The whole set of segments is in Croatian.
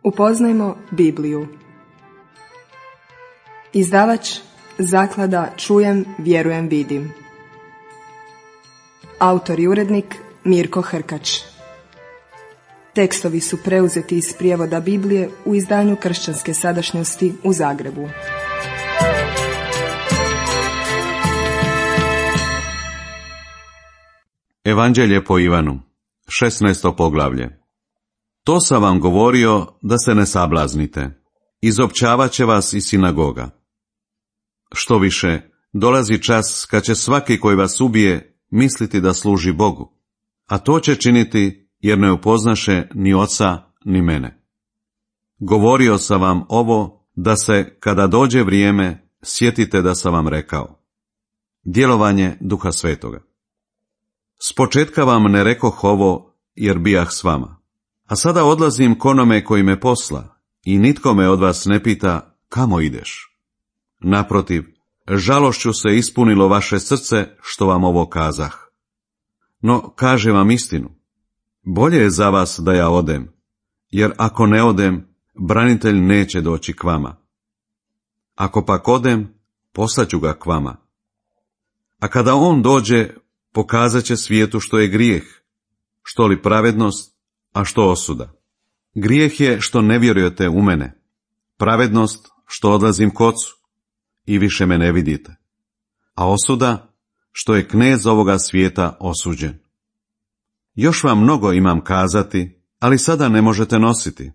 Upoznajmo Bibliju. Izdavač Zaklada Čujem, vjerujem, vidim. Autor i urednik Mirko Hrkač. Tekstovi su preuzeti iz prijevoda Biblije u izdanju Kršćanske sadašnjosti u Zagrebu. Evanđelje po Ivanu, 16. poglavlje. To sam vam govorio da se ne sablaznite. Izopćavat će vas iz sinagoga. Što više, dolazi čas kad će svaki koji vas ubije misliti da služi Bogu, a to će činiti jer ne upoznaše ni oca ni mene. Govorio sam vam ovo da se, kada dođe vrijeme, sjetite da sam vam rekao. Djelovanje Duha Svetoga. Spočetka vam ne rekoh ovo jer bijah s vama, a sada odlazim k onome koji me posla i nitko me od vas ne pita kamo ideš. Naprotiv, žalošću se ispunilo vaše srce što vam ovo kazah. No, kažem vam istinu, bolje je za vas da ja odem, jer ako ne odem, branitelj neće doći k vama. Ako pak odem, poslaću ga k vama. A kada on dođe, pokazat će svijetu što je grijeh, što li pravednost, a što osuda. Grijeh je što ne vjerujete u mene, pravednost što odlazim k Ocu i više me ne vidite, a osuda što je knez ovoga svijeta osuđen. Još vam mnogo imam kazati, ali sada ne možete nositi.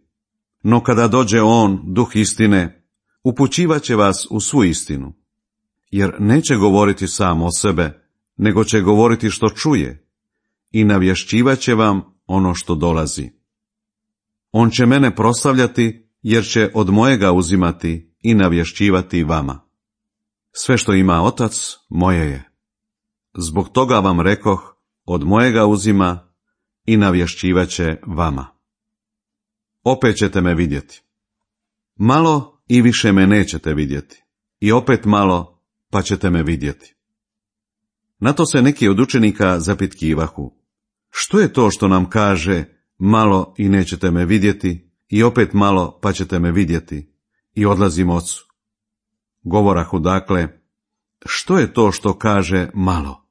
No kada dođe on, Duh istine, upućivat će vas u svu istinu, jer neće govoriti sam o sebe, nego će govoriti što čuje i navješćivat će vam ono što dolazi. On će mene proslavljati, jer će od mojega uzimati i navješćivati vama. Sve što ima Otac, moje je. Zbog toga vam rekoh, od mojega uzima i navješćivat će vama. Opet ćete me vidjeti. Malo i više me nećete vidjeti. I opet malo, pa ćete me vidjeti. Na to se neki od učenika zapitkivahu. Što je to što nam kaže, malo i nećete me vidjeti, i opet malo, pa ćete me vidjeti, i odlazim Ocu? Govorahu dakle, što je to što kaže malo?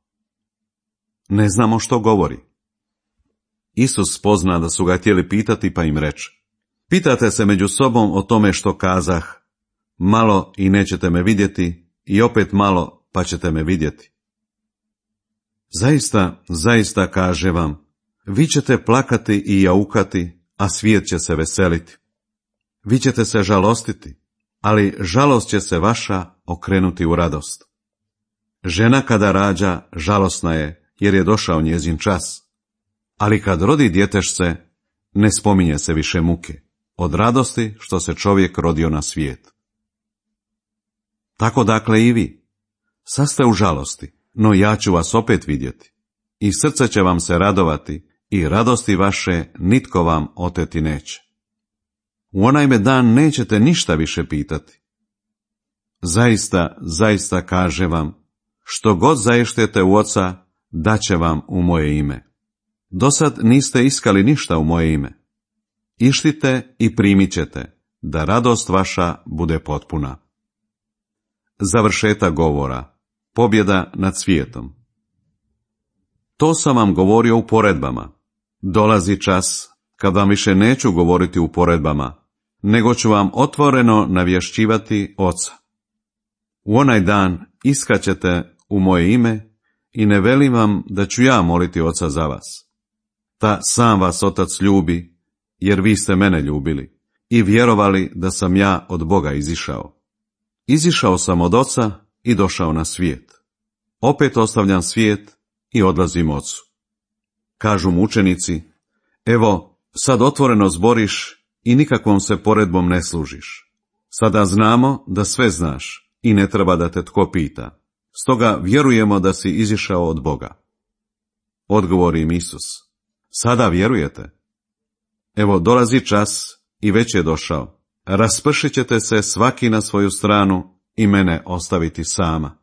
Ne znamo što govori. Isus spozna da su ga htjeli pitati, pa im reče, pitate se među sobom o tome što kazah, malo i nećete me vidjeti, i opet malo, pa ćete me vidjeti. Zaista, zaista kaže vam, vi ćete plakati i jaukati, a svijet će se veseliti. Vi ćete se žalostiti, ali žalost će se vaša okrenuti u radost. Žena kada rađa, žalosna je, jer je došao njezin čas. Ali kad rodi djetešce, ne spominje se više muke, od radosti što se čovjek rodio na svijet. Tako dakle i vi. Sad ste u žalosti, no ja ću vas opet vidjeti. I srce će vam se radovati, i radosti vaše nitko vam oteti neće. U onaj me dan nećete ništa više pitati. Zaista, zaista kaže vam, što god zaještete u Oca, daće vam u moje ime. Dosad niste iskali ništa u moje ime. Ištite i primit ćete, da radost vaša bude potpuna. Završetak govora. Pobjeda nad svijetom. To sam vam govorio u poredbama. Dolazi čas kad vam više neću govoriti u poredbama, nego ću vam otvoreno navješćivati Oca. U onaj dan iskaćete u moje ime i ne velim vam da ću ja moliti Oca za vas. Ta sam vas Otac ljubi, jer vi ste mene ljubili i vjerovali da sam ja od Boga izišao. Izišao sam od Oca i došao na svijet. Opet ostavljam svijet i odlazim Ocu. Kažu mu učenici, evo, sad otvoreno zboriš i nikakvom se poredbom ne služiš. Sada znamo da sve znaš i ne treba da te tko pita. Stoga vjerujemo da si izišao od Boga. Odgovori im Isus, sada vjerujete? Evo, dolazi čas i već je došao. Raspršit ćete se svaki na svoju stranu i mene ostaviti sama.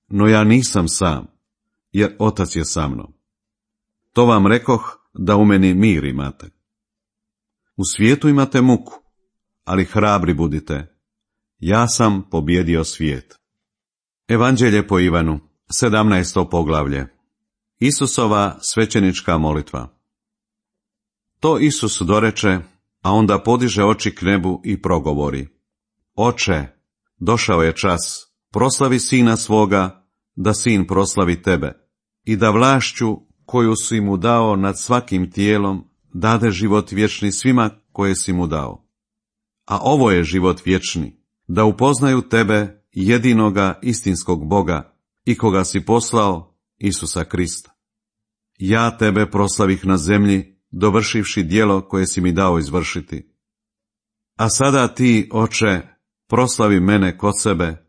No ja nisam sam, jer Otac je sa mnom. To vam rekoh da u meni mir imate. U svijetu imate muku, ali hrabri budite. Ja sam pobjedio svijet. Evanđelje po Ivanu, 17. poglavlje. Isusova svećenička molitva. To Isus doreče, a onda podiže oči k nebu i progovori. Oče, došao je čas, proslavi Sina svoga, da Sin proslavi tebe, i da vlašću koju si mu dao nad svakim tijelom, dade život vječni svima koje si mu dao. A ovo je život vječni, da upoznaju tebe, jedinoga istinskog Boga, i koga si poslao, Isusa Krista. Ja tebe proslavih na zemlji, dovršivši djelo koje si mi dao izvršiti. A sada ti, Oče, proslavi mene kod sebe,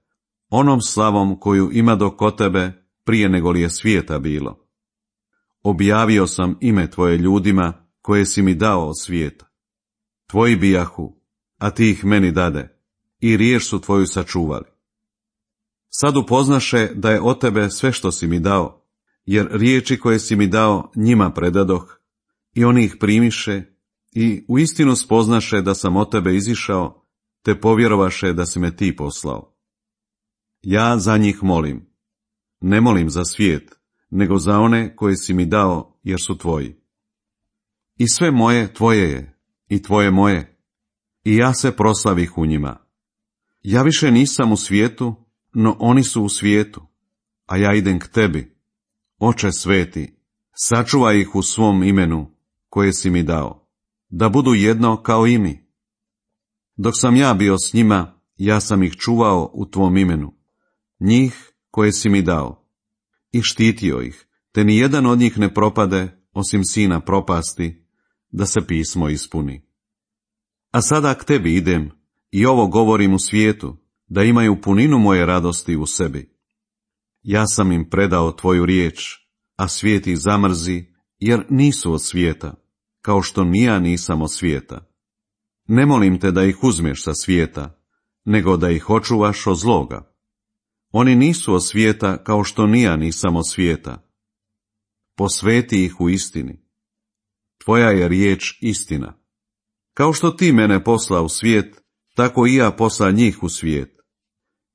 onom slavom koju ima kod tebe prije nego li je svijeta bilo. Objavio sam ime tvoje ljudima koje si mi dao od svijeta. Tvoji bijahu, a ti ih meni dade, i riječ su tvoju sačuvali. Sad upoznaše da je od tebe sve što si mi dao, jer riječi koje si mi dao njima predadoh, i oni ih primiše, i uistinu spoznaše da sam od tebe izišao, te povjerovaše da si me ti poslao. Ja za njih molim. Ne molim za svijet, nego za one koje si mi dao, jer su tvoji. I sve moje tvoje je, i tvoje moje, i ja se proslavih u njima. Ja više nisam u svijetu, no oni su u svijetu, a ja idem k tebi. Oče sveti, sačuvaj ih u svom imenu, koje si mi dao, da budu jedno kao i mi. Dok sam ja bio s njima, ja sam ih čuvao u tvom imenu, njih koje si mi dao, i štitio ih, te ni jedan od njih ne propade, osim sina propasti, da se pismo ispuni. A sada k tebi idem, i ovo govorim u svijetu, da imaju puninu moje radosti u sebi. Ja sam im predao tvoju riječ, a svijet ih zamrzi, jer nisu od svijeta, kao što ni ja nisam od svijeta. Ne molim te da ih uzmeš sa svijeta, nego da ih očuvaš od zloga. Oni nisu od svijeta, kao što ni ja nisam od svijeta. Posveti ih u istini. Tvoja je riječ istina. Kao što ti mene posla u svijet, tako i ja posla njih u svijet.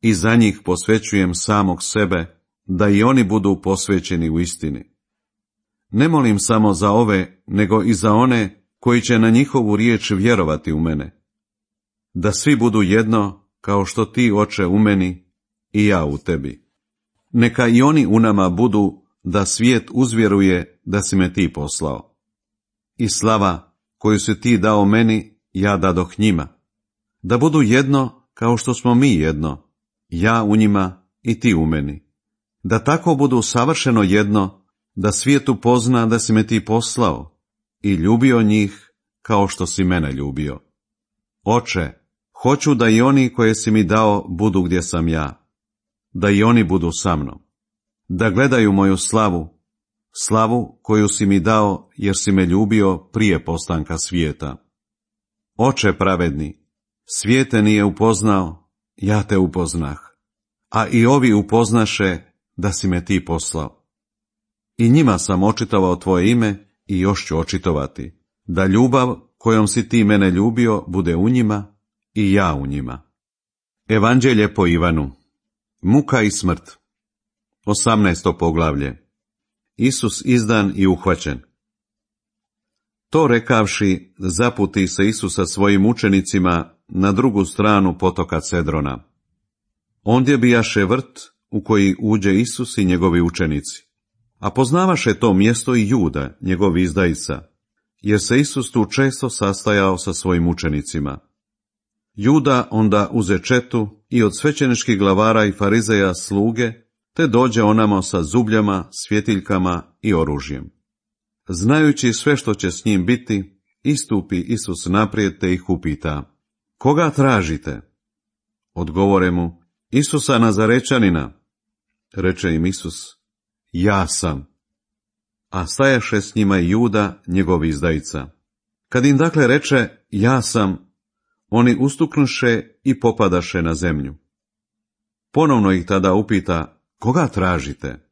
I za njih posvećujem samog sebe, da i oni budu posvećeni u istini. Ne molim samo za ove, nego i za one koji će na njihovu riječ vjerovati u mene. Da svi budu jedno, kao što ti, Oče, u meni i ja u tebi. Neka i oni u nama budu, da svijet uzvjeruje da si me ti poslao. I slava koju si ti dao meni, ja dadoh njima. Da budu jedno, kao što smo mi jedno, ja u njima i ti u meni. Da tako budu savršeno jedno, da svijet upozna da si me ti poslao i ljubio njih kao što si mene ljubio. Oče, hoću da i oni koje si mi dao budu gdje sam ja, da i oni budu sa mnom, da gledaju moju slavu, slavu koju si mi dao jer si me ljubio prije postanka svijeta. Oče pravedni, svijet te nije upoznao, ja te upoznah, a i ovi upoznaše da si me ti poslao. I njima sam očitovao tvoje ime i još ću očitovati, da ljubav kojom si ti mene ljubio bude u njima i ja u njima. Evanđelje po Ivanu. Muka i smrt. 18. poglavlje. Isus izdan i uhvaćen. To rekavši, zaputi se Isus sa svojim učenicima na drugu stranu potoka Cedrona. Ondje bijaše vrt u koji uđe Isus i njegovi učenici. A poznavaše to mjesto i Juda, njegov izdajica, jer se Isus tu često sastajao sa svojim učenicima. Juda onda uze četu i od svećeničkih glavara i farizeja sluge, te dođe onamo sa zubljama, svjetiljkama i oružjem. Znajući sve što će s njim biti, istupi Isus naprijed te ih upita: koga tražite? Odgovore mu: Isusa Nazarečanina. Reče im Isus: ja sam. A stajaše s njima i Juda, njegov izdajica. Kad im dakle reče: ja sam, oni ustuknuše i popadaše na zemlju. Ponovno ih tada upita: koga tražite?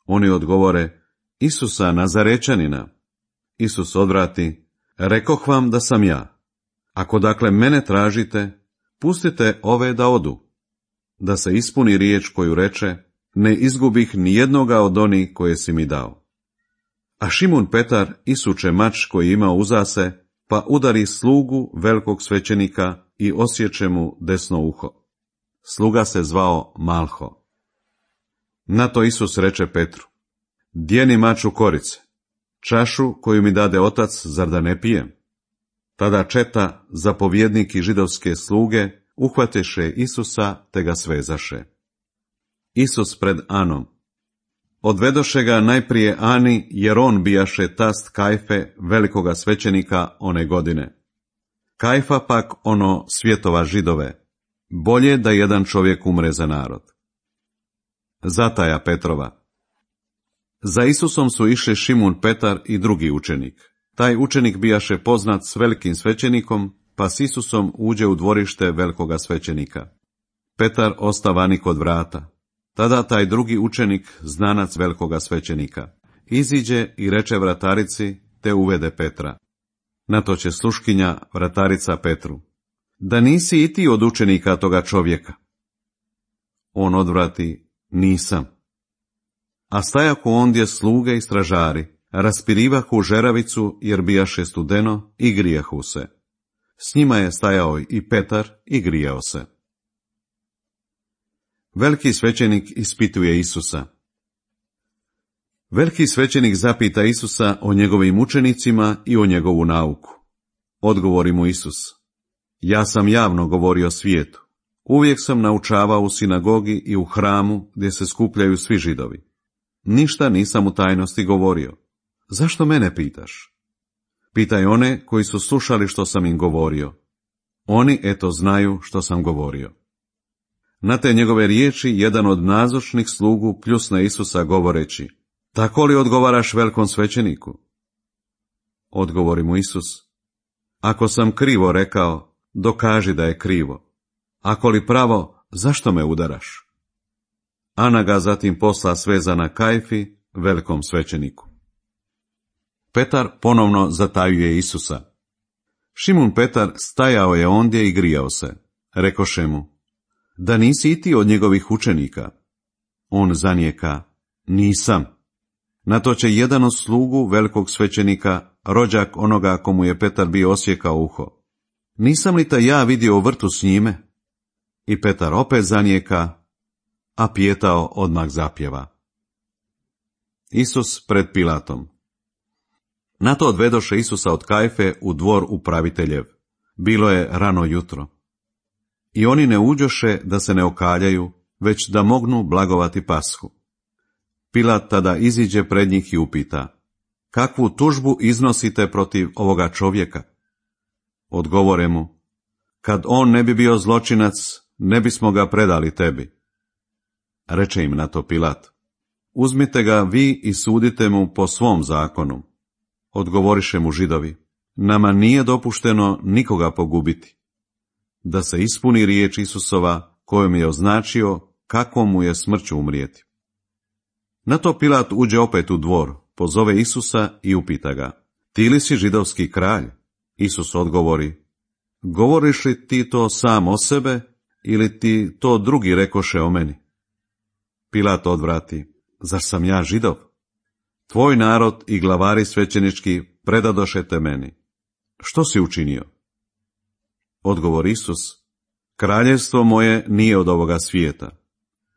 Oni odgovore: Isusa Nazarečanina. Isus odvrati: Rekoh vam da sam ja. Ako dakle mene tražite, pustite ove da odu, da se ispuni riječ koju reče, ne izgubih ni jednoga od onih koje si mi dao. A Šimun Petar isuče mač koji ima uza se, pa udari slugu velikog svećenika i osječe mu desno uho. Sluga se zvao Malho. Na to Isus reče Petru, djeni mač u korice, čašu koju mi dade otac, zar da ne pijem? Tada četa, zapovjednik i židovske sluge, uhvateše Isusa te ga svezaše. Isus pred Anom. Odvedoše ga najprije Ani, jer on bijaše tast Kajfe, velikoga svećenika one godine. Kajfa pak ono svjetova Židove. Bolje da jedan čovjek umre za narod. Zataja Petrova. Za Isusom su išli Šimun Petar i drugi učenik. Taj učenik bijaše poznat s velikim svećenikom, pa s Isusom uđe u dvorište velikoga svećenika. Petar osta vani kod vrata. Tada taj drugi učenik, znanac velikoga svećenika, iziđe i reče vratarici, te uvede Petra. Na to će sluškinja, vratarica Petru, da nisi i ti od učenika toga čovjeka. On odvrati, nisam. A stajahu ondje sluge i stražari, raspirivahu žeravicu jer bijaše studeno i grijahu se. S njima je stajao i Petar i grijao se. Veliki svećenik ispituje Isusa. Veliki svećenik zapita Isusa o njegovim učenicima i o njegovu nauku. Odgovori mu Isus, ja sam javno govorio svijetu. Uvijek sam naučavao u sinagogi i u hramu gdje se skupljaju svi Židovi. Ništa nisam u tajnosti govorio. Zašto mene pitaš? Pitaj one koji su slušali što sam im govorio. Oni eto znaju što sam govorio. Na te njegove riječi jedan od nazočnih slugu pljusne Isusa govoreći, tako li odgovaraš velikom svećeniku? Odgovori mu Isus, ako sam krivo rekao, dokaži da je krivo. Ako li pravo, zašto me udaraš? Ana ga zatim posla svezana Kajfi, velikom svećeniku. Petar ponovno zatajuje Isusa. Šimun Petar stajao je ondje i grijao se. Rekoše mu, da nisi i ti od njegovih učenika? On zanijeka, nisam. Na to će jedan od slugu velikog svećenika, rođak onoga komu je Petar bio osjekao uho. Nisam li te ja vidio u vrtu s njime? I Petar opet zanijeka, a Pijetao odmah zapjeva. Isus pred Pilatom. Na to odvedoše Isusa od Kajfe u dvor upraviteljev. Bilo je rano jutro. I oni ne uđoše da se ne okaljaju, već da mognu blagovati Pashu. Pilat tada iziđe pred njih i upita, kakvu tužbu iznosite protiv ovoga čovjeka? Odgovore mu, kad on ne bi bio zločinac, ne bismo ga predali tebi. Reče im na to Pilat, uzmite ga vi i sudite mu po svom zakonu. Odgovoriše mu Židovi, nama nije dopušteno nikoga pogubiti. Da se ispuni riječ Isusova kojom je označio kako mu je smrću umrijeti. Na to Pilat uđe opet u dvor, pozove Isusa i upita ga, ti li si židovski kralj? Isus odgovori, govoriš li ti to sam o sebe ili ti to drugi rekoše o meni? Pilat odvrati, zar sam ja Židov? Tvoj narod i glavari svećenički predadoše te meni. Što si učinio? Odgovor Isus, kraljevstvo moje nije od ovoga svijeta.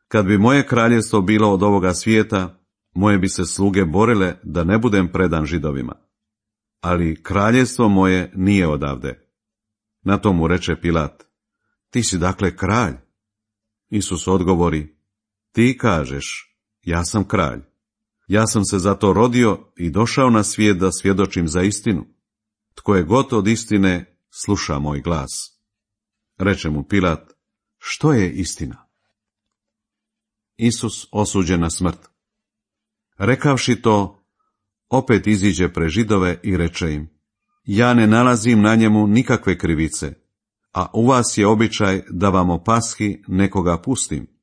Kad bi moje kraljevstvo bilo od ovoga svijeta, moje bi se sluge borile da ne budem predan Židovima. Ali kraljevstvo moje nije odavde. Na to mu reče Pilat, ti si dakle kralj? Isus odgovori, ti kažeš, ja sam kralj. Ja sam se zato rodio i došao na svijet da svjedočim za istinu. Tko je god od istine, sluša moj glas. Reče mu Pilat, što je istina? Isus osuđen na smrt. Rekavši to, opet iziđe pre Židove i reče im, ja ne nalazim na njemu nikakve krivice, a u vas je običaj da vam o Pashi nekoga pustim.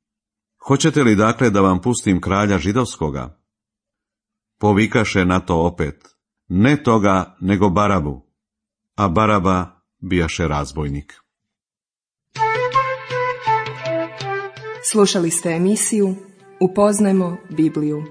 Hoćete li dakle da vam pustim kralja židovskoga? Povikaše na to opet, ne toga nego Barabu. a Baraba bijaše razbojnik. Slušali ste emisiju Upoznajmo Bibliju.